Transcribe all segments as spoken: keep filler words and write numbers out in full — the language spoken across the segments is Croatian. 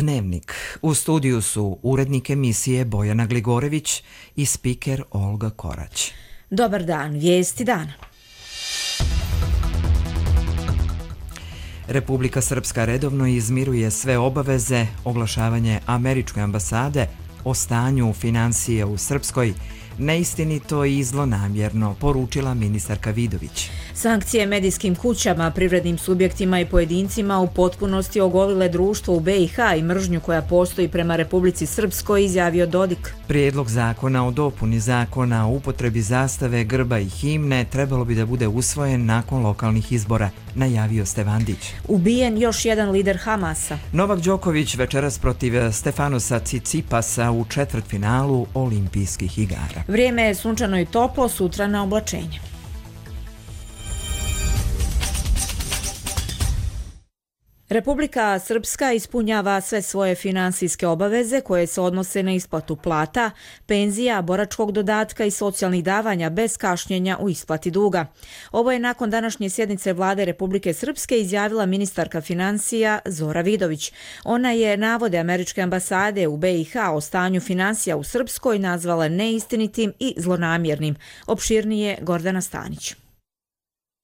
Dnevnik. U studiju su urednik emisije Bojana Gligorević i spiker Olga Korać. Dobar dan, vijesti dana. Republika Srpska redovno izmiruje sve obaveze, oglašavanje američke ambasade o stanju financije u Srpskoj neistinito i zlonamjerno, poručila ministarka Vidović. Sankcije medijskim kućama, privrednim subjektima i pojedincima u potpunosti ogolile društvo u be i ha i mržnju koja postoji prema Republici Srpskoj, izjavio Dodik. Prijedlog zakona o dopuni zakona o upotrebi zastave, grba i himne trebalo bi da bude usvojen nakon lokalnih izbora, najavio Stevandić. Ubijen još jedan lider Hamasa. Novak Đoković večeras protiv Stefanosa Cicipasa u četvrtfinalu Olimpijskih igara. Vrijeme je sunčano i toplo, sutra na oblačenje. Republika Srpska ispunjava sve svoje finansijske obaveze koje se odnose na isplatu plata, penzija, boračkog dodatka i socijalnih davanja bez kašnjenja u isplati duga. Ovo je nakon današnje sjednice Vlade Republike Srpske izjavila ministarka financija Zora Vidović. Ona je navode američke ambasade u be i ha o stanju finansija u Srpskoj nazvala neistinitim i zlonamjernim. Opširnije Gordana Stanić.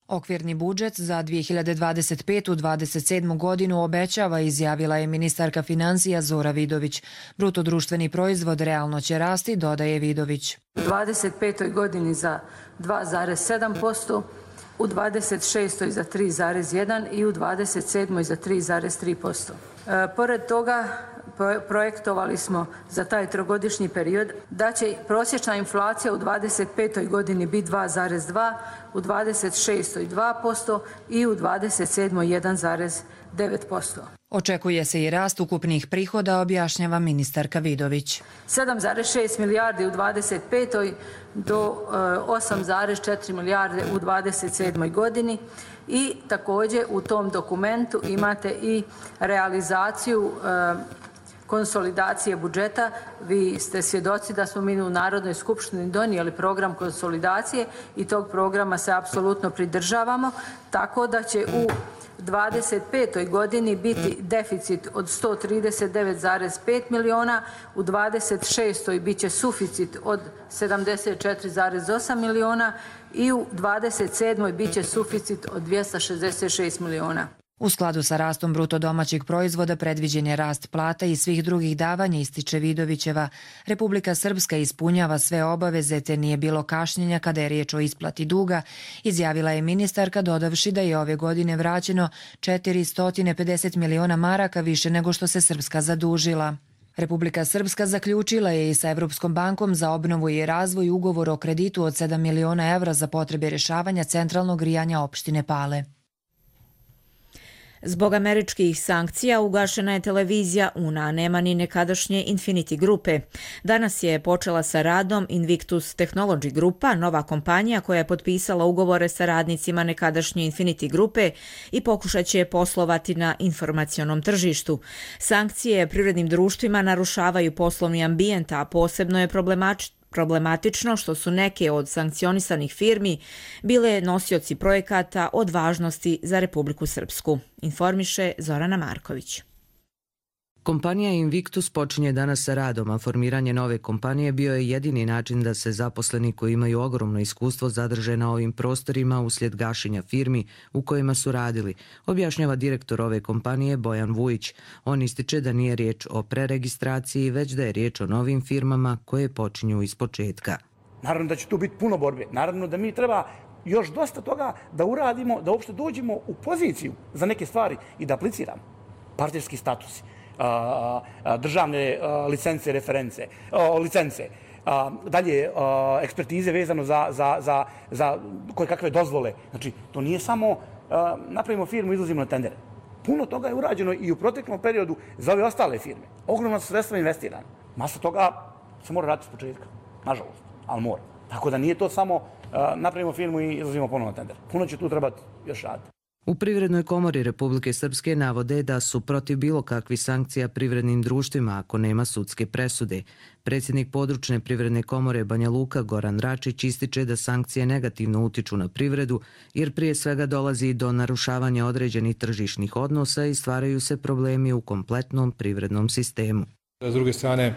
Okvirni budžet za dvije hiljade dvadeset petu do dvadeset sedmu godinu obećava, izjavila je ministarka financija Zora Vidović. Bruto društveni proizvod realno će rasti, dodaje Vidović. U dvadeset petoj godini za dva zarez sedam posto, u dvadeset šestoj za tri zarez jedan i u dvadeset sedmoj za tri zarez tri posto. E, pored toga, projektovali smo za taj trogodišnji period da će prosječna inflacija u dvadeset petoj godini biti dva zarez dva, u dvadeset šestoj dva posto i u dvadeset sedmoj jedan zarez devet posto. Očekuje se i rast ukupnih prihoda, objašnjava ministarka Vidović. sedam zarez šest milijardi u dvadeset petoj do osam zarez četiri milijarde u dvadeset sedmoj godini i također u tom dokumentu imate i realizaciju konsolidacije budžeta. Vi ste svjedoci da smo mi u Narodnoj skupštini donijeli program konsolidacije i tog programa se apsolutno pridržavamo, tako da će u dvadeset petoj godini biti deficit od sto trideset devet zarez pet miliona, u dvadeset šestoj bit će suficit od sedamdeset četiri zarez osam miliona i u dvadeset sedmoj bit će suficit od dvjesto šezdeset šest miliona. U skladu sa rastom bruto domaćeg proizvoda predviđen je rast plata i svih drugih davanja, ističe Vidovićeva. Republika Srpska ispunjava sve obaveze te nije bilo kašnjenja kada je riječ o isplati duga, izjavila je ministarka, dodavši da je ove godine vraćeno četiristo pedeset miliona maraka više nego što se Srpska zadužila. Republika Srpska zaključila je i sa Evropskom bankom za obnovu i razvoj ugovor o kreditu od sedam miliona evra za potrebe rješavanja centralnog grijanja opštine Pale. Zbog američkih sankcija ugašena je televizija UNA, a nema ni nekadašnje Infinity grupe. Danas je počela sa radom Invictus Technology grupa, nova kompanija koja je potpisala ugovore sa radnicima nekadašnje Infinity grupe i pokušat će poslovati na informacionom tržištu. Sankcije privrednim društvima narušavaju poslovni ambijent, a posebno je problematično Problematično što su neke od sankcionisanih firmi bile nosioci projekata od važnosti za Republiku Srpsku, informiše Zorana Marković. Kompanija Invictus počinje danas sa radom, a formiranje nove kompanije bio je jedini način da se zaposleni koji imaju ogromno iskustvo zadrže na ovim prostorima uslijed gašenja firmi u kojima su radili, objašnjava direktor ove kompanije Bojan Vujić. On ističe da nije riječ o preregistraciji, već da je riječ o novim firmama koje počinju iz početka. Naravno da će tu biti puno borbe. Naravno da mi treba još dosta toga da uradimo, da uopšte dođemo u poziciju za neke stvari i da apliciramo. Partnerski statusi, državne licence, reference, licence, dalje ekspertize vezano za, za, za, za koje kakve dozvole. Znači, to nije samo napravimo firmu i izlazimo na tendere. Puno toga je urađeno i u proteklom periodu za ove ostale firme. Ogromno sredstva investirane. Masa toga se mora raditi s početka, nažalost, ali mora. Tako da nije to samo napravimo firmu i izlazimo ponovno na tender. Puno će tu trebati još raditi. U Privrednoj komori Republike Srpske navode da su protiv bilo kakvih sankcija privrednim društvima ako nema sudske presude. Predsjednik područne privredne komore Banja Luka Goran Račić ističe da sankcije negativno utiču na privredu jer prije svega dolazi do narušavanja određenih tržišnih odnosa i stvaraju se problemi u kompletnom privrednom sistemu. S druge strane,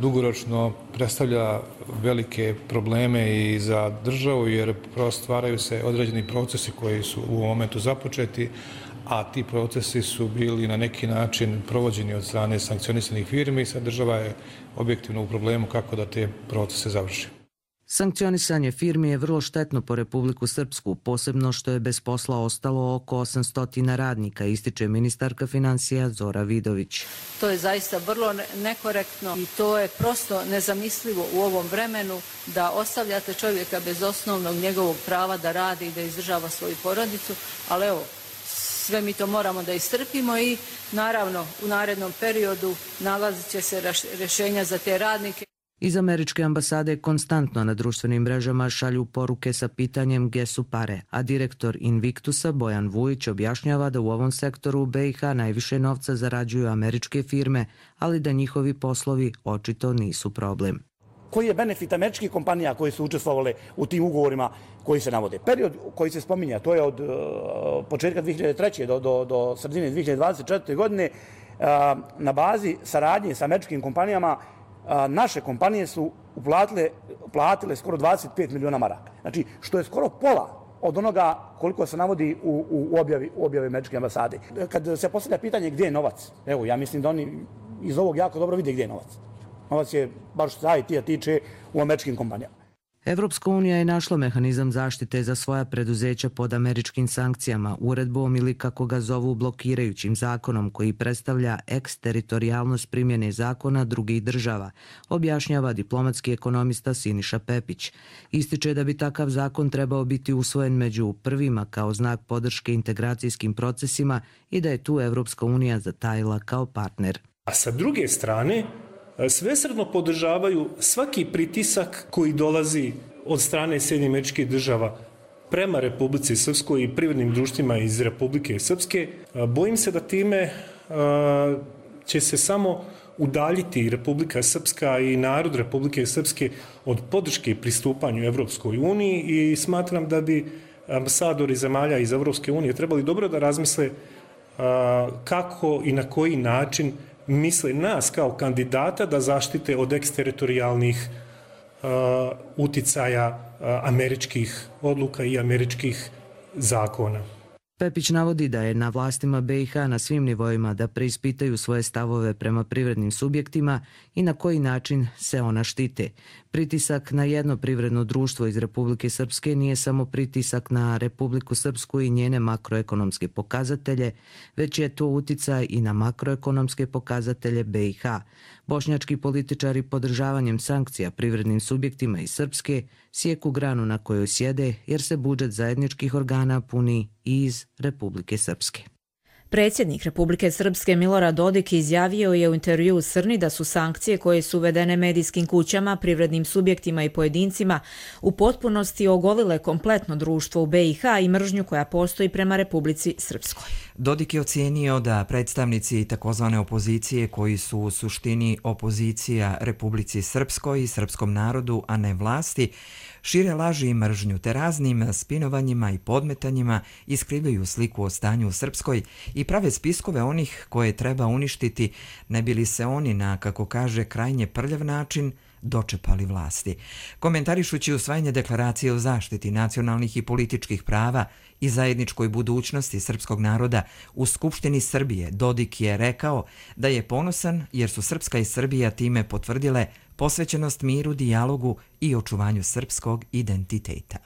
dugoročno predstavlja velike probleme i za državu jer stvaraju se određeni procesi koji su u ovom momentu započeti, a ti procesi su bili na neki način provođeni od strane sankcionisanih firmi i sad država je objektivno u problemu kako da te procese završi. Sankcionisanje firmi je vrlo štetno po Republiku Srpsku, posebno što je bez posla ostalo oko osamsto radnika, ističe ministarka financija Zora Vidović. To je zaista vrlo nekorektno i to je prosto nezamislivo u ovom vremenu da ostavljate čovjeka bez osnovnog njegovog prava da radi i da izdržava svoju porodicu, ali evo, sve mi to moramo da istrpimo i naravno u narednom periodu nalazit će se rješenja za te radnike. Iz američke ambasade konstantno na društvenim mrežama šalju poruke sa pitanjem gdje su pare, a direktor Invictusa Bojan Vujić objašnjava da u ovom sektoru u be i ha najviše novca zarađuju američke firme, ali da njihovi poslovi očito nisu problem. Koji je benefit američkih kompanija koje su učestvovale u tim ugovorima koji se navode? Period koji se spominja, to je od uh, početka dvije hiljade treće. do, do, do sredine dvije hiljade dvadeset četvrte. godine uh, na bazi saradnje sa američkim kompanijama a, naše kompanije su uplatile, platile skoro dvadeset pet miliona maraka. Znači, što je skoro pola od onoga koliko se navodi u, u objavi, u objavi američke ambasade. Kad se postavlja pitanje gdje je novac, evo, ja mislim da oni iz ovog jako dobro vide gdje je novac. Novac je, baš što se I T-a tiče, u američkim kompanijama. Evropska unija je našla mehanizam zaštite za svoja preduzeća pod američkim sankcijama, uredbom ili kako ga zovu blokirajućim zakonom koji predstavlja eksteritorijalnost primjene zakona drugih država, objašnjava diplomatski ekonomista Siniša Pepić. Ističe da bi takav zakon trebao biti usvojen među prvima kao znak podrške integracijskim procesima i da je tu Evropska unija zatajila kao partner. A sa druge strane, svesrdno podržavaju svaki pritisak koji dolazi od strane Sjedinjenih Američkih Država prema Republici Srpskoj i privrednim društvima iz Republike Srpske. Bojim se da time će se samo udaljiti Republika Srpska i narod Republike Srpske od podrške pristupanju Evropskoj uniji i smatram da bi ambasadori zemalja iz Evropske unije trebali dobro da razmisle kako i na koji način misle nas kao kandidata da zaštite od eksteritorijalnih uh, uticaja uh, američkih odluka i američkih zakona. Pepić navodi da je na vlastima be i ha na svim nivoima da preispitaju svoje stavove prema privrednim subjektima i na koji način se ona štite. Pritisak na jedno privredno društvo iz Republike Srpske nije samo pritisak na Republiku Srpsku i njene makroekonomske pokazatelje, već je to uticaj i na makroekonomske pokazatelje be i ha. Bošnjački političari podržavanjem sankcija privrednim subjektima iz Srpske sjeku granu na kojoj sjede jer se budžet zajedničkih organa puni i iz Republike Srpske. Predsjednik Republike Srpske Milorad Dodik izjavio je u intervjuu Srni da su sankcije koje su uvedene medijskim kućama, privrednim subjektima i pojedincima u potpunosti ogolile kompletno društvo u be i ha i mržnju koja postoji prema Republici Srpskoj. Dodik je ocijenio da predstavnici takozvane opozicije koji su u suštini opozicija Republici Srpskoj i srpskom narodu, a ne vlasti, šire laži i mržnju te raznim spinovanjima i podmetanjima iskrivljuju sliku o stanju u Srpskoj i prave spiskove onih koje treba uništiti, ne bi li se oni na, kako kaže, krajnje prljav način dočepali vlasti. Komentarišući usvajanje deklaracije o zaštiti nacionalnih i političkih prava i zajedničkoj budućnosti srpskog naroda u Skupštini Srbije, Dodik je rekao da je ponosan jer su Srpska i Srbija time potvrdile posvećenost miru, dijalogu i očuvanju srpskog identiteta.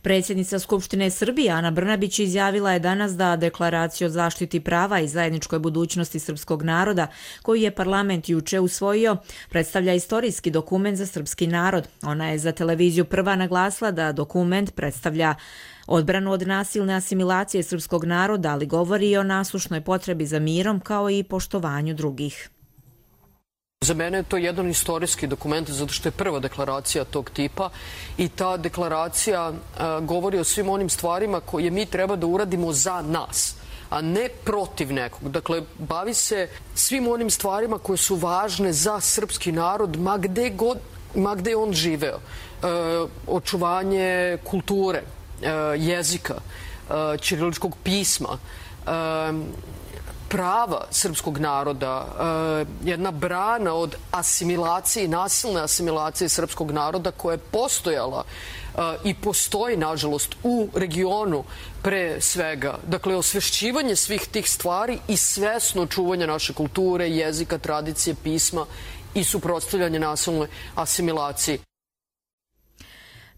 Predsjednica Skupštine Srbije Ana Brnabić izjavila je danas da deklaraciju o zaštiti prava i zajedničkoj budućnosti srpskog naroda, koju je parlament juče usvojio, predstavlja istorijski dokument za srpski narod. Ona je za televiziju Prva naglasila da dokument predstavlja odbranu od nasilne asimilacije srpskog naroda, ali govori i o nasušnoj potrebi za mirom kao i poštovanju drugih. Za mene je to jedan istorijski dokument zato što je prva deklaracija tog tipa i ta deklaracija a, govori o svim onim stvarima koje mi treba da uradimo za nas, a ne protiv nekog. Dakle, bavi se svim onim stvarima koje su važne za srpski narod, ma gde god, ma gde on živeo. E, očuvanje kulture, e, jezika, e, ćiriličkog pisma, e, prava srpskog naroda, jedna brana od asimilacije, nasilne asimilacije srpskog naroda koja je postojala i postoji, nažalost, u regionu pre svega. Dakle, osvešćivanje svih tih stvari i svesno čuvanje naše kulture, jezika, tradicije, pisma i suprotstavljanje nasilnoj asimilaciji.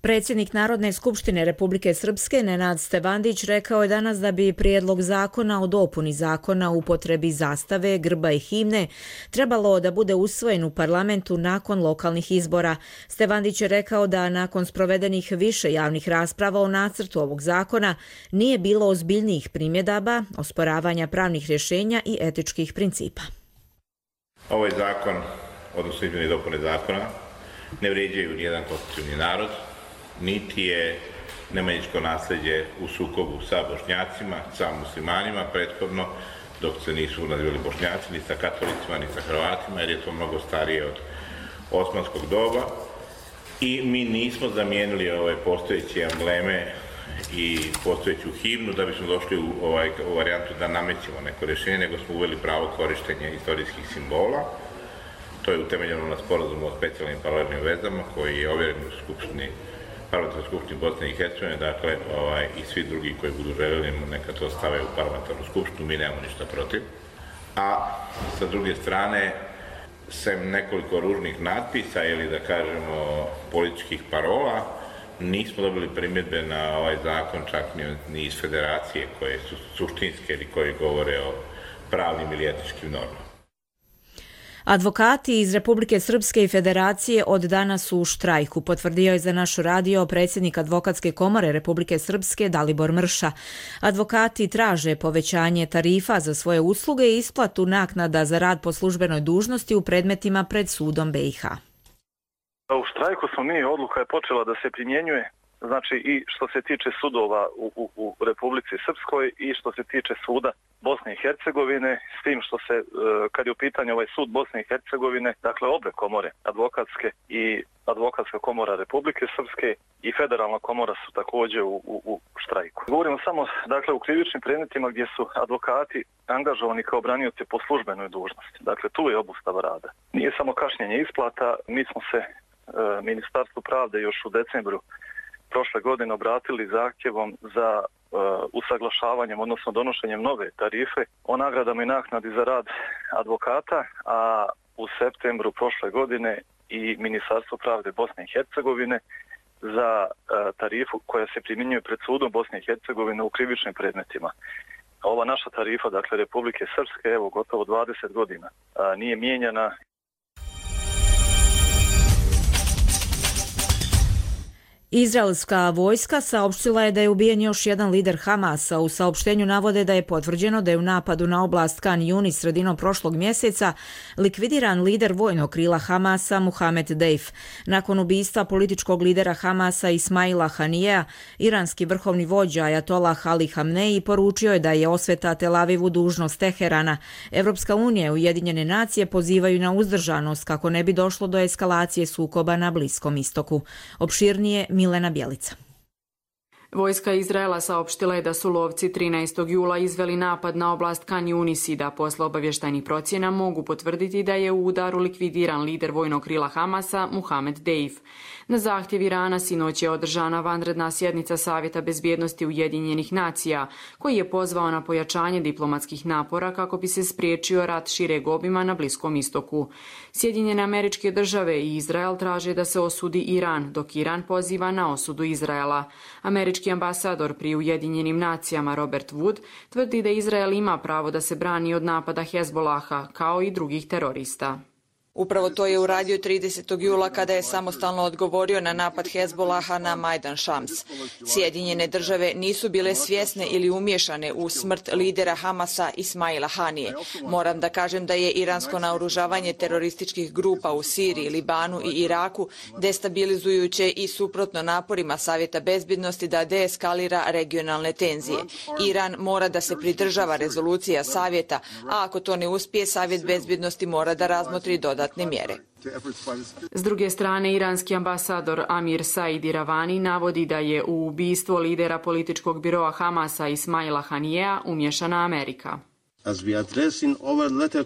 Predsjednik Narodne skupštine Republike Srpske Nenad Stevandić rekao je danas da bi prijedlog zakona o dopuni zakona o upotrebi zastave, grba i himne trebalo da bude usvojen u parlamentu nakon lokalnih izbora. Stevandić je rekao da nakon sprovedenih više javnih rasprava o nacrtu ovog zakona nije bilo ozbiljnijih primjedaba, osporavanja pravnih rješenja i etičkih principa. Ovaj zakon, odnosno izmjene i dopune zakona, ne vrijeđaju nijedan konstitutivni narod, niti je nemanjičko nasljeđe u sukobu sa Bošnjacima, sa muslimanima prethodno, dok se nisu nazivali Bošnjaci, ni sa katolicima, ni sa Hrvatima, jer je to mnogo starije od osmanskog doba. I mi nismo zamijenili ove postojeće embleme i postojeću himnu da bismo došli u, ovaj, u varijantu da namećemo neko rješenje, nego smo uveli pravo korištenja istorijskih simbola. To je utemeljeno na sporazumu o specijalnim paralelnim vezama koji je ovjeren u Skupštini Parlamentarnoj skupštini Bosne i Hercegovine, dakle, ovaj, i svi drugi koji budu željeli neka to stave u parlamentarnu skupštinu, mi nemamo ništa protiv. A sa druge strane, sem nekoliko ružnih natpisa ili da kažemo političkih parola, nismo dobili primjedbe na ovaj zakon čak ni iz federacije koje su suštinske ili koji govore o pravnim ili etičkim normama. Advokati iz Republike Srpske i Federacije od danas su u štrajku, potvrdio je za naš radio predsjednik Advokatske komore Republike Srpske Dalibor Mrša. Advokati traže povećanje tarifa za svoje usluge i isplatu naknada za rad po službenoj dužnosti u predmetima pred sudom B i H. U štrajku smo mi, odluka je počela da se primjenjuje, znači i što se tiče sudova u, u, u Republici Srpskoj i što se tiče suda Bosne i Hercegovine, s tim što se, kad je u pitanju ovaj sud Bosne i Hercegovine, dakle obe komore, advokatske i Advokatska komora Republike Srpske i Federalna komora su također u, u, u štrajku. Govorimo samo dakle u krivičnim predmetima gdje su advokati angažovani kao branioci po službenoj dužnosti. Dakle, tu je obustava rada. Nije samo kašnjenje isplata, mi smo se e, Ministarstvu pravde još u decembru prošle godine obratili zahtjevom za uh, usaglašavanjem, odnosno donošenjem nove tarife o nagradama i naknadi za rad advokata, a u septembru prošle godine i Ministarstvo pravde Bosne i Hercegovine za uh, tarifu koja se primjenjuje pred sudom Bosne i Hercegovine u krivičnim predmetima. Ova naša tarifa, dakle Republike Srpske, evo gotovo dvadeset godina, uh, nije mijenjana. Izraelska vojska saopštila je da je ubijen još jedan lider Hamasa. U saopštenju navode da je potvrđeno da je u napadu na oblast Kan Yunis sredinom prošlog mjeseca likvidiran lider vojnog krila Hamasa Mohamed Deif. Nakon ubistva političkog lidera Hamasa Ismaila Hanijea, iranski vrhovni vođa Ajatollah Ali Hamneji poručio je da je osveta Tel Avivu dužnost Teherana. Evropska unija i Ujedinjene nacije pozivaju na uzdržanost kako ne bi došlo do eskalacije sukoba na Bliskom istoku. Opširnije Milena Bjelica. Vojska Izraela saopštila je da su lovci trinaestog jula izveli napad na oblast Kan Yunis i da posle obavještajnih procjena mogu potvrditi da je u udaru likvidiran lider vojnog krila Hamasa Mohamed Deif. Na zahtjev Irana sinoć je održana vanredna sjednica Savjeta bezbjednosti Ujedinjenih nacija, koji je pozvao na pojačanje diplomatskih napora kako bi se spriječio rat šireg obima na Bliskom istoku. Sjedinjene Američke države i Izrael traže da se osudi Iran, dok Iran poziva na osudu Izraela. Američki ambasador pri Ujedinjenim nacijama Robert Wood tvrdi da Izrael ima pravo da se brani od napada Hezbolaha, kao i drugih terorista. Upravo to je uradio tridesetog jula kada je samostalno odgovorio na napad Hezbolaha na Majdan Shams. Sjedinjene države nisu bile svjesne ili umiješane u smrt lidera Hamasa Ismaila Hanije. Moram da kažem da je iransko naoružavanje terorističkih grupa u Siriji, Libanu i Iraku destabilizujuće i suprotno naporima Savjeta bezbjednosti da deeskalira regionalne tenzije. Iran mora da se pridržava rezolucija Savjeta, a ako to ne uspije, Savjet bezbjednosti mora da razmotri dodatne mjere. S druge strane, iranski ambasador Amir Said Iravani navodi da je u ubistvo lidera političkog biroa Hamasa Ismaila Hanijea umješana Amerika.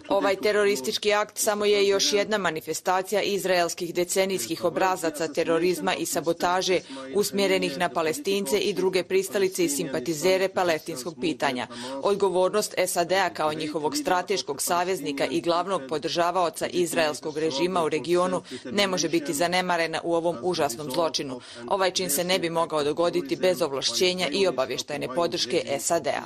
Ovaj teroristički akt samo je još jedna manifestacija izraelskih decenijskih obrazaca terorizma i sabotaže usmjerenih na Palestince i druge pristalice i simpatizere palestinskog pitanja. Odgovornost S A D-a kao njihovog strateškog saveznika i glavnog podržavaoca izraelskog režima u regionu ne može biti zanemarena u ovom užasnom zločinu. Ovaj čin se ne bi mogao dogoditi bez ovlašćenja i obavještajne podrške S A D-a.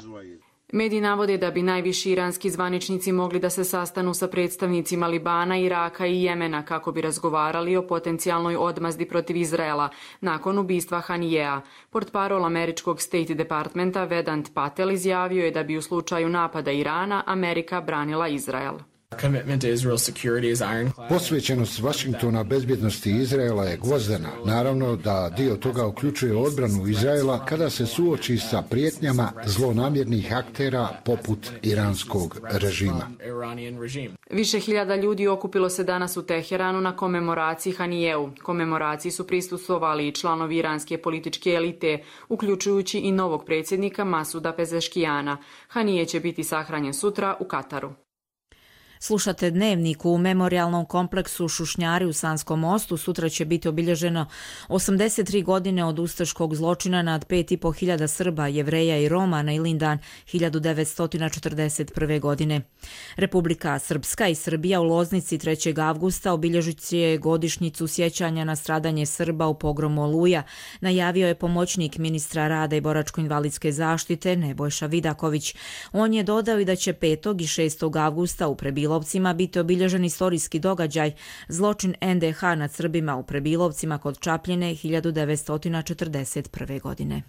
Mediji navode da bi najviši iranski zvaničnici mogli da se sastanu sa predstavnicima Libana, Iraka i Jemena kako bi razgovarali o potencijalnoj odmazdi protiv Izraela nakon ubistva Hanijea. Portparol američkog State Departmenta Vedant Patel izjavio je da bi u slučaju napada Irana Amerika branila Izrael. Posvećenost Vašingtona bezbjednosti Izraela je gvozdena. Naravno da dio toga uključuje odbranu Izraela kada se suoči sa prijetnjama zlonamjernih aktera poput iranskog režima. Više hiljada ljudi okupilo se danas u Teheranu na komemoraciji Hanijeu. Komemoraciji su prisustvovali i članovi iranske političke elite, uključujući i novog predsjednika Masuda Pezeškijana. Hanije će biti sahranjen sutra u Kataru. Slušate Dnevnik. U memorijalnom kompleksu Šušnjari u Sanskom Mostu sutra će biti obilježeno osamdeset tri godine od ustaškog zločina nad pet i po hiljada Srba, Jevreja i Roma na Ilindan hiljadu devetsto četrdeset prve. godine. Republika Srpska i Srbija u Loznici trećeg avgusta obilježit će godišnjicu sjećanja na stradanje Srba u pogromu Oluja, najavio je pomoćnik ministra rada i boračko-invalidske zaštite Nebojša Vidaković. On je dodao i da će petog i šestog avgusta u Prebilovcima biti obilježen istorijski događaj, zločin N D H nad Srbima u Prebilovcima kod Čapljine hiljadu devetsto četrdeset prve. godine.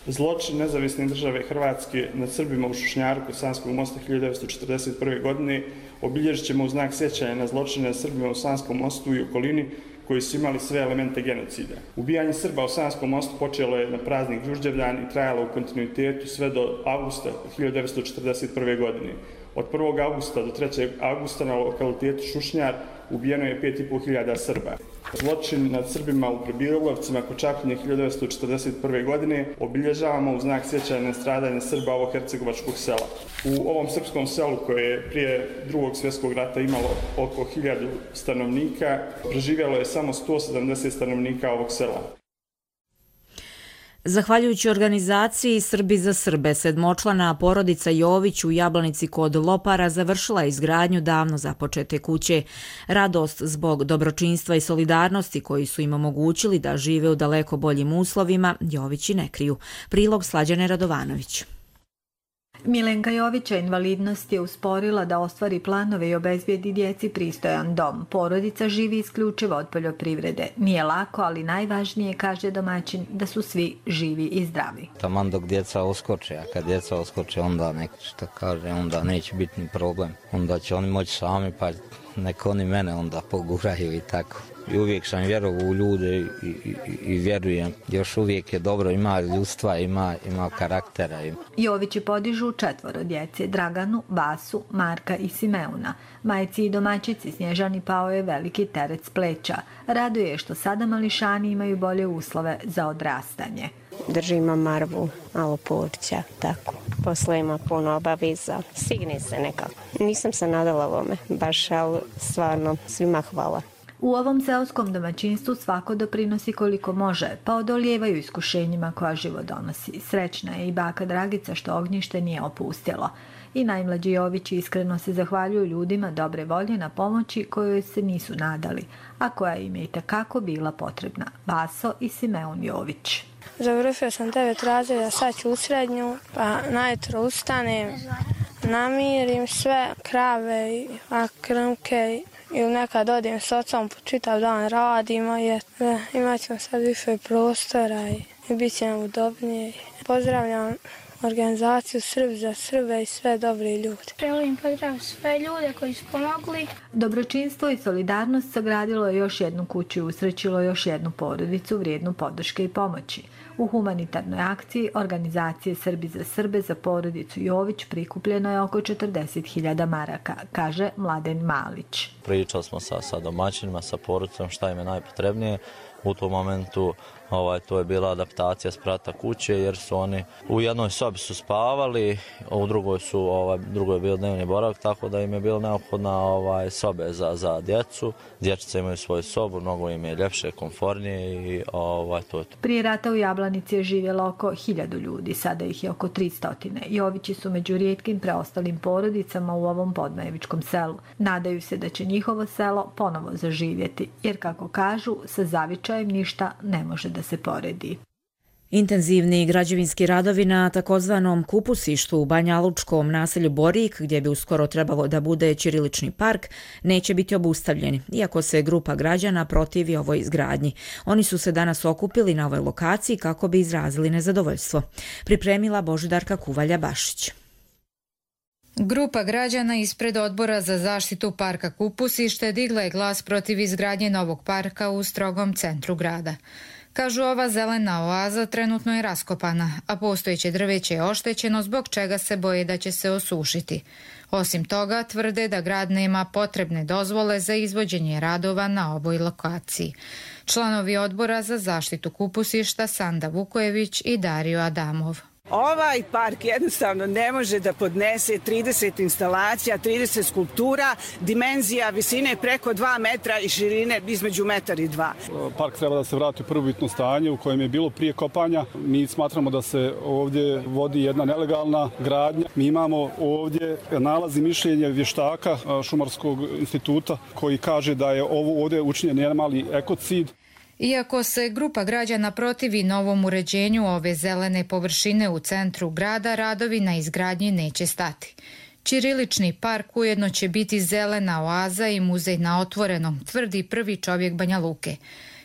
Zločin nezavisne države Hrvatske nad Srbima u Šušnjaru kod Sanskog mosta hiljadu devetsto četrdeset prve. godine obilježit ćemo u znak sjećanja na zločine nad Srbima u Sanskom mostu i okolini koji su imali sve elemente genocida. Ubijanje Srba u Sanskom mostu počelo je na praznik Đurđevdan i trajalo u kontinuitetu sve do avgusta hiljadu devetsto četrdeset prve. godine. Od prvog avgusta do trećeg avgusta na lokalitetu Šušnjar ubijeno je pet i po hiljada Srba. Zločin nad Srbima u Prebilovcima kod Čapljine hiljadu devetsto četrdeset prve. godine obilježavamo u znak sjećanja na stradanje Srba ovog hercegovačkog sela. U ovom srpskom selu koje je prije drugog svjetskog rata imalo oko hiljadu stanovnika, preživjelo je samo sto sedamdeset stanovnika ovog sela. Zahvaljujući organizaciji Srbi za Srbe, sedmočlana porodica Jović u Jablanici kod Lopara završila izgradnju davno započete kuće. Radost zbog dobročinstva i solidarnosti koji su im omogućili da žive u daleko boljim uslovima, Jovići ne kriju. Prilog Slađane Radovanović. Milenka Jovića invalidnost je usporila da ostvari planove i obezbijedi djeci pristojan dom. Porodica živi isključivo od poljoprivrede. Nije lako, ali najvažnije, kaže domaćin, da su svi živi i zdravi. Taman dok djeca oskoče, a kad djeca oskoče, onda nek što kaže, onda neće biti ni problem. Onda će oni moći sami, pa nek oni mene onda poguraju i tako. I uvijek sam vjerovao u ljude i, i, i vjerujem. Još uvijek je dobro, ima ljudstva, ima, ima karaktera. Jovići podižu četvoro djece, Draganu, Vasu, Marka i Simeuna. Majci i domaćici Snježani pao je veliki teret s pleća. Raduje što sada mališani imaju bolje uslove za odrastanje. Držimo marvu, malo porća, tako. Posle ima puno obaveza. Stigne se nekako. Nisam se nadala ovome, baš, ali stvarno svima hvala. U ovom seoskom domaćinstvu svako doprinosi koliko može, pa odolijevaju iskušenjima koja život donosi. Srećna je i baka Dragica što ognjište nije opustilo. I najmlađi Jovići iskreno se zahvaljuju ljudima dobre volje na pomoći kojoj se nisu nadali, a koja im je i takako bila potrebna. Vaso i Simeon Jović. Završio sam devet razreda, sad ću u srednju, pa najutro ustanem, namirim sve krave, a krmke ili nekad odim s ocom, čitav dan radimo jer ne, imat ćemo sad više prostora i, i bit će nam udobnije. Pozdravljam organizaciju Srb za Srbe i sve dobre ljude. Želim pozdraviti sve ljude koji su pomogli. Dobročinstvo i solidarnost sagradilo je još jednu kuću i usrećilo još jednu porodicu vrijednu podrške i pomoći. U humanitarnoj akciji organizacije Srbi za Srbe za porodicu Jović prikupljeno je oko četrdeset hiljada maraka, kaže Mladen Malić. Pričali smo sa, sa domaćinima, sa porodicom šta im je najpotrebnije. U tom momentu ovaj, to je bila adaptacija sprata kuće jer su oni u jednoj sobi su spavali, a u drugoj su ovaj, drugoj je bio dnevni boravak, tako da im je bilo neophodna ovaj, sobe za, za djecu. Dječice imaju svoju sobu, mnogo im je ljepše, komfornije i ovaj, to je to. Prije rata u Jablanici je živjelo oko hiljadu ljudi, sada ih je oko tristo. Jovići su među rijetkim preostalim porodicama u ovom podmajevičkom selu. Nadaju se da će njihovo selo ponovo zaživjeti, jer kako kažu, sa zavičajem ništa ne može da se poredi. Intenzivni građevinski radovi na takozvanom kupusištu u banjalučkom naselju Borik, gdje bi uskoro trebalo da bude ćirilični park, neće biti obustavljeni, iako se grupa građana protivi ovoj izgradnji. Oni su se danas okupili na ovoj lokaciji kako bi izrazili nezadovoljstvo. Pripremila Božidarka Kuvalja-Bašić. Grupa građana ispred Odbora za zaštitu parka Kupusište digla je glas protiv izgradnje novog parka u strogom centru grada. Kažu, ova zelena oaza trenutno je raskopana, a postojeće drveće je oštećeno, zbog čega se boje da će se osušiti. Osim toga, tvrde da grad nema potrebne dozvole za izvođenje radova na ovoj lokaciji. Članovi Odbora za zaštitu Kupusišta Sanda Vukojević i Dario Adamov. Ovaj park jednostavno ne može da podnese trideset instalacija, trideset skulptura, dimenzija visine preko dva metra i širine između metar i dva. Park treba da se vrati u prvobitno stanje u kojem je bilo prije kopanja. Mi smatramo da se ovdje vodi jedna nelegalna gradnja. Mi imamo ovdje nalaz i mišljenje vještaka Šumarskog instituta koji kaže da je ovo ovdje učinjen jedan mali ekocid. Iako se grupa građana protivi novom uređenju ove zelene površine u centru grada, radovi na izgradnji neće stati. Ćirilični park ujedno će biti zelena oaza i muzej na otvorenom, tvrdi prvi čovjek Banja Luke.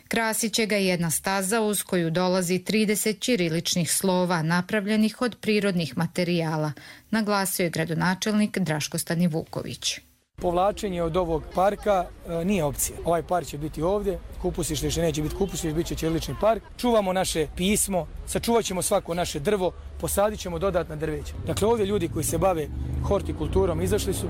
Krasit će ga jedna staza uz koju dolazi trideset ćiriličnih slova napravljenih od prirodnih materijala, naglasio je gradonačelnik Draško Stanivuković. Povlačenje od ovog parka e, nije opcija. Ovaj park će biti ovdje, kupusište više neće biti kupusište, bit će ćirilični park. Čuvamo naše pismo, sačuvat ćemo svako naše drvo, posadit ćemo dodatna drveća. Dakle, ovdje ljudi koji se bave hortikulturom izašli su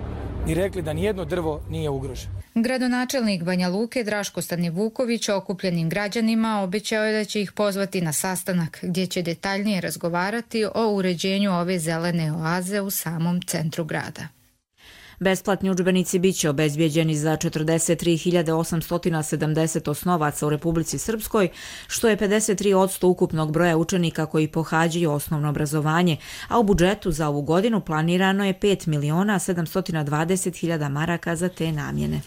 i rekli da nijedno drvo nije ugroženo. Gradonačelnik Banja Luke Draško Stanivuković okupljenim građanima obećao je da će ih pozvati na sastanak gdje će detaljnije razgovarati o uređenju ove zelene oaze u samom centru grada. Besplatni udžbenici biće obezbijeđeni za četrdeset tri hiljade osamsto sedamdeset osnovaca u Republici Srpskoj, što je pedeset tri posto ukupnog broja učenika koji pohađaju osnovno obrazovanje, a u budžetu za ovu godinu planirano je pet miliona sedamsto dvadeset hiljada maraka za te namjene.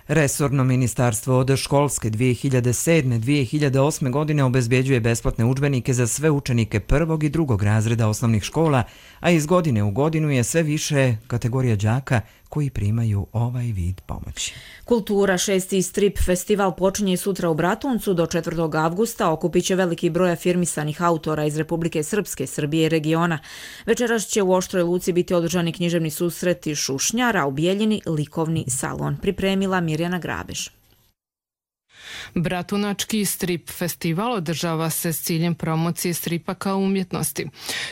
Resorno ministarstvo od školske dvije hiljade sedme do dvije hiljade osme godine obezbjeđuje besplatne udžbenike za sve učenike prvog i drugog razreda osnovnih škola, a iz godine u godinu je sve više kategorija đaka koji primaju ovaj vid pomoći. Kultura šesti strip festival počinje sutra u Bratuncu. Do četvrtog avgusta okupit će veliki broj afirmisanih autora iz Republike Srpske, Srbije i regiona. Večeras će u Oštroj Luci biti održani književni susreti Šušnjara, u Bijeljini likovni salon. Pripremila Mirjana Grabež. Bratunački strip festival održava se s ciljem promocije stripa kao umjetnosti,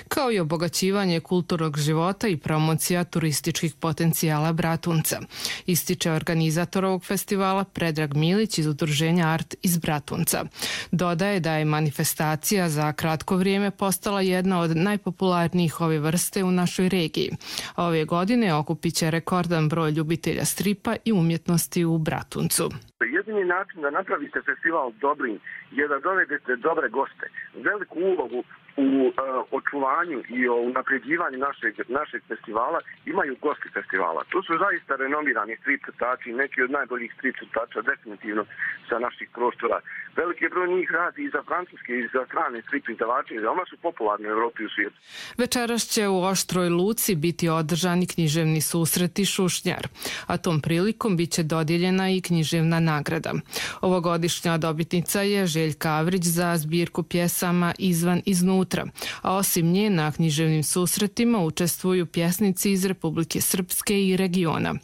kao i obogaćivanje kulturnog života i promocija turističkih potencijala Bratunca, ističe organizator ovog festivala Predrag Milić iz udruženja Art iz Bratunca. Dodaje da je manifestacija za kratko vrijeme postala jedna od najpopularnijih ove vrste u našoj regiji. Ove godine okupit će rekordan broj ljubitelja stripa i umjetnosti u Bratuncu. Jedini način da napravite festival dobrim je da dovedete dobre goste. Veliku ulogu u uh, očuvanju i o unapređivanju našeg, našeg festivala imaju gosti festivala. Tu su zaista renomirani strip crtači, neki od najboljih strip crtača definitivno sa naših prostora. Veliki broj njih radi i za francuske i za strane strip izdavače, veoma su popularni u Evropi i u svijetu. Večeras će u Oštroj Luci biti održani književni susreti Šušnjar, a tom prilikom bit će dodijeljena i književna nagrada. Ovogodišnja dobitnica je Željka Avrić za zbirku pjesama Izvan iznutra, a osim nje na književnim susretima učestvuju pjesnici iz Republike Srpske i regiona.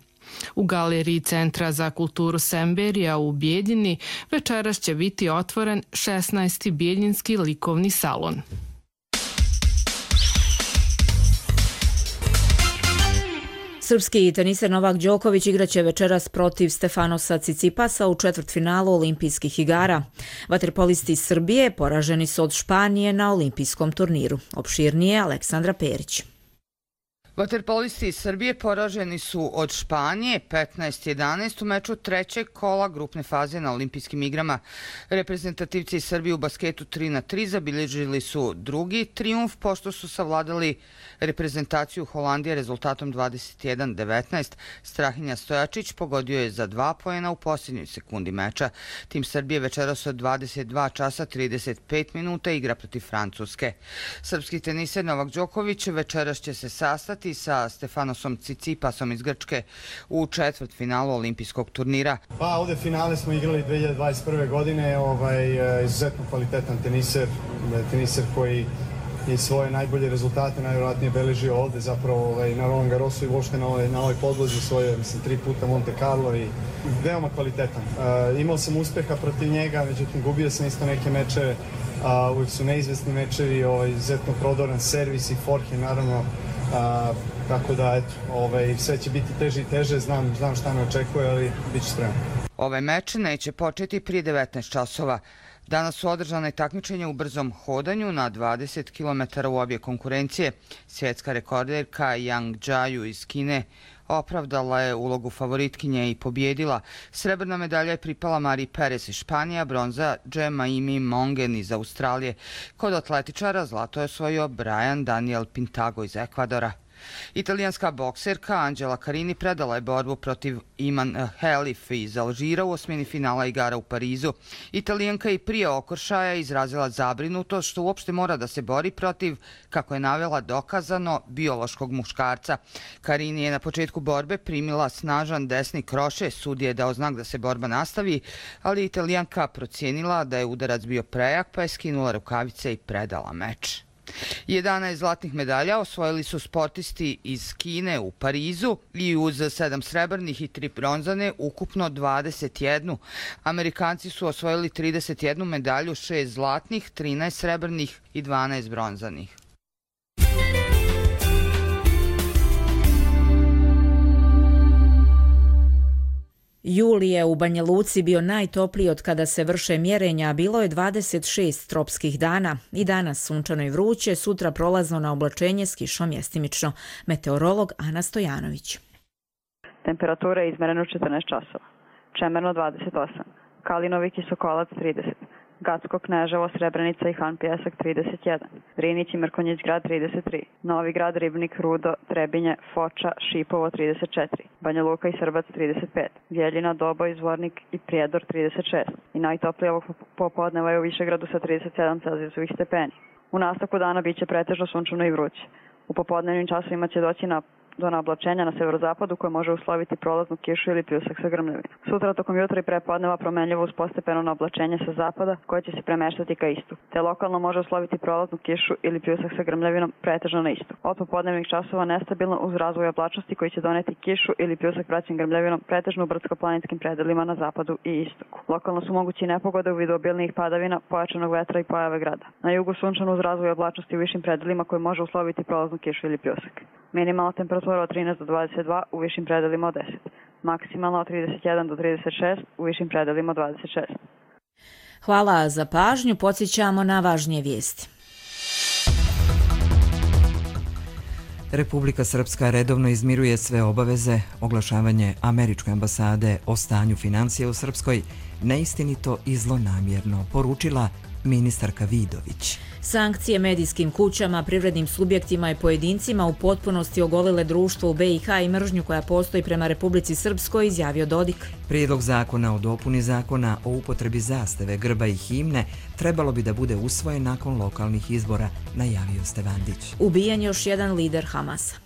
U galeriji Centra za kulturu Semberija u Bijeljini večeras će biti otvoren šesnaesti Bijeljinski likovni salon. Srpski teniser Novak Đoković igraće večeras protiv Stefanosa Cicipasa u četvrtfinalu olimpijskih igara. Vaterpolisti iz Srbije poraženi su od Španije na olimpijskom turniru. Opširnije Aleksandra Perić. Vaterpolisti iz Srbije poraženi su od Španije petnaest jedanaest u meču trećeg kola grupne faze na olimpijskim igrama. Reprezentativci iz Srbije u basketu tri na tri zabilježili su drugi trijumf pošto su savladali reprezentaciju Holandije rezultatom dvadeset jedan devetnaest. Strahinja Stojačić pogodio je za dva poena u posljednjoj sekundi meča. Tim Srbije večeras od dvadeset dva časa trideset pet minuta igra protiv Francuske. Srpski teniser Novak Đoković večeras će se sastati sa Stefanosom Cicipasom iz Grčke u četvrtfinalu olimpijskog turnira. Pa ovdje finale smo igrali dve hiljade dvadeset prve. godine, ovaj, izuzetno kvalitetan teniser, teniser koji i svoje najbolje rezultate najvjerojatnije beležio ovdje zapravo ovaj, na Roland Garrosu i uopšte na ovoj, na ovoj podlozi svoje, mislim, tri puta Monte Carlo i veoma kvalitetan. Uh, imao sam uspeha protiv njega, međutim gubio sam isto neke mečeve, uh, uvijek su neizvesni mečevi, ovaj, izuzetno prodoran servis i forehand naravno, uh, tako da eto, ovaj, sve će biti teže i teže, znam, znam šta me očekuje, ali bit ću spreman. Ovaj meč neće početi prije devetnaest časova. Danas su održane takmičenja u brzom hodanju na dvadeset kilometara u obje konkurencije. Svjetska rekorderka Yang Jiaju iz Kine opravdala je ulogu favoritkinje i pobjedila. Srebrna medalja je pripala Mari Perez iz Španije, bronza Jemaimi Mongen iz Australije. Kod atletičara zlato je osvojio Brian Daniel Pintago iz Ekvadora. Italijanska bokserka Anđela Carini predala je borbu protiv Iman Helif iz Alžira u osmini finala igara u Parizu. Italijanka i prije okršaja izrazila zabrinutost što uopšte mora da se bori protiv, kako je navela, dokazano biološkog muškarca. Carini je na početku borbe primila snažan desni kroše, sudija je dao znak da se borba nastavi, ali Italijanka procijenila da je udarac bio prejak pa je skinula rukavice i predala meč. jedanaest zlatnih medalja osvojili su sportisti iz Kine u Parizu i uz sedam srebrnih i tri bronzane, ukupno dvadeset jednu. Amerikanci su osvojili trideset jednu medalju, šest zlatnih, trinaest srebrnih i dvanaest bronzanih. Juli je u Banja Luci bio najtopliji od kada se vrše mjerenja, a bilo je dvadeset šest tropskih dana. I danas sunčano i vruće, sutra prolazno na oblačenje s kišom mjestimično. Meteorolog Ana Stojanović. Temperatura je izmerena u četrnaest časova. Čemerno dvadeset osam. Kalinovik i Sokolac trideset. Gacko, Kneževo, Srebrenica i Han Pjesak trideset jedan, Drinić i Mrkonjić grad trideset tri, Novi grad, Ribnik, Rudo, Trebinje, Foča, Šipovo trideset četiri, Banja Luka i Srbac trideset pet, Bjeljina, Doboj, Zvornik i Prijedor trideset šest i najtoplije ovog popodneva je u Višegradu sa trideset sedam celzijusovih stepeni. U nastavku dana bit će pretežno sunčano i vruće. U popodnevnim časovima će doći na do naoblačenja na severozapadu koje može usloviti prolaznu kišu ili pljusak sa grmljavinom. Sutra tokom jutra i prepodneva promenljivo uz postepeno naoblačenje sa zapada koje će se premeštati ka istu, te lokalno može usloviti prolaznu kišu ili pljusak sa grmljavinom pretežno na istu. Od popodnevnih časova nestabilno uz razvoj oblačnosti koji će doneti kišu ili pljusak praćen grmljavinom pretežno u brdsko-planinskim predelima na zapadu i istoku. Lokalno su mogući nepogode u vidu obilnijih padavina, pojačanog vetra i pojave grada. Na jugu sunčano uz razvoj oblačnosti u višim predelima koje može usloviti prolaznu kišu ili pljusak. Minimalna temperatura od trinaest do dvadeset dva, u višim predelima od deset. Maksimalno od trideset jedan do trideset šest, u višim predelima od dvadeset šest. Hvala za pažnju, podsjećamo na važnije vijesti. Republika Srpska redovno izmiruje sve obaveze. Oglašavanje američke ambasade o stanju financija u Srpskoj neistinito i zlonamjerno, poručila ministarka Vidović. Sankcije medijskim kućama, privrednim subjektima i pojedincima u potpunosti ogolile društvo u B i H i mržnju koja postoji prema Republici Srpskoj, izjavio Dodik. Prijedlog zakona o dopuni zakona o upotrebi zastave, grba i himne trebalo bi da bude usvojen nakon lokalnih izbora, najavio Stevandić. Ubijen još jedan lider Hamasa.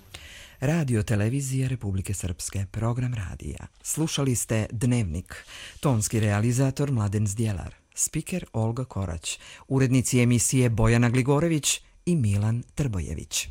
Radio televizija Republike Srpske, program radija. Slušali ste Dnevnik. Tonski realizator Mladen Zdjelar. Spiker Olga Korać, urednici emisije Bojana Gligorević i Milan Trbojević.